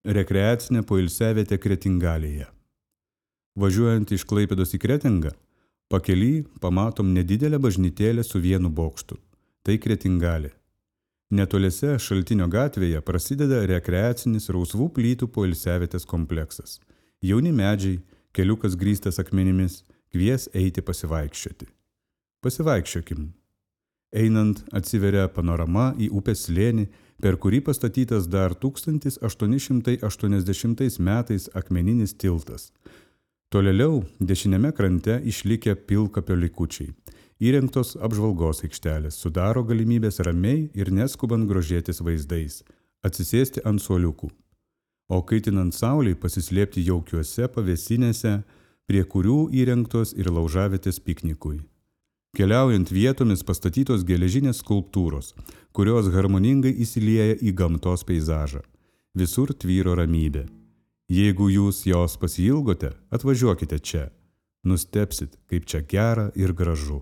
Rekreacinė poilsiavietė Kretingalėje. Važiuojant iš Klaipėdos į Kretingą, pakely pamatom nedidelę bažnytėlę su vienu bokštu. Tai Kretingalė. Netoliese Šaltinio gatvėje prasideda rekreacinis rausvų plytų poilsiavietės kompleksas. Jauni medžiai, keliukas grįstas akmenimis, kvies eiti pasivaikščioti. Pasivaikščiokim. Einant atsiveria panorama į upės slėnį, per kurį pastatytas dar 1880 metais akmeninis tiltas. Tolėliau dešiniame krante išlikę pilkapio likučiai. Įrengtos apžvalgos aikštelės sudaro galimybės ramiai ir neskubant grožėtis vaizdais, atsisėsti ant suoliukų, o kaitinant saulei pasislėpti jaukiuose pavėsinėse, prie kurių įrengtos ir laužavietės piknikui. Keliaujant vietomis pastatytos geležinės skulptūros, kurios harmoningai įsilieja į gamtos peizažą. Visur tvyro ramybė. Jeigu jūs jos pasiilgote, atvažiuokite čia. Nustebsit, kaip čia gera ir gražu.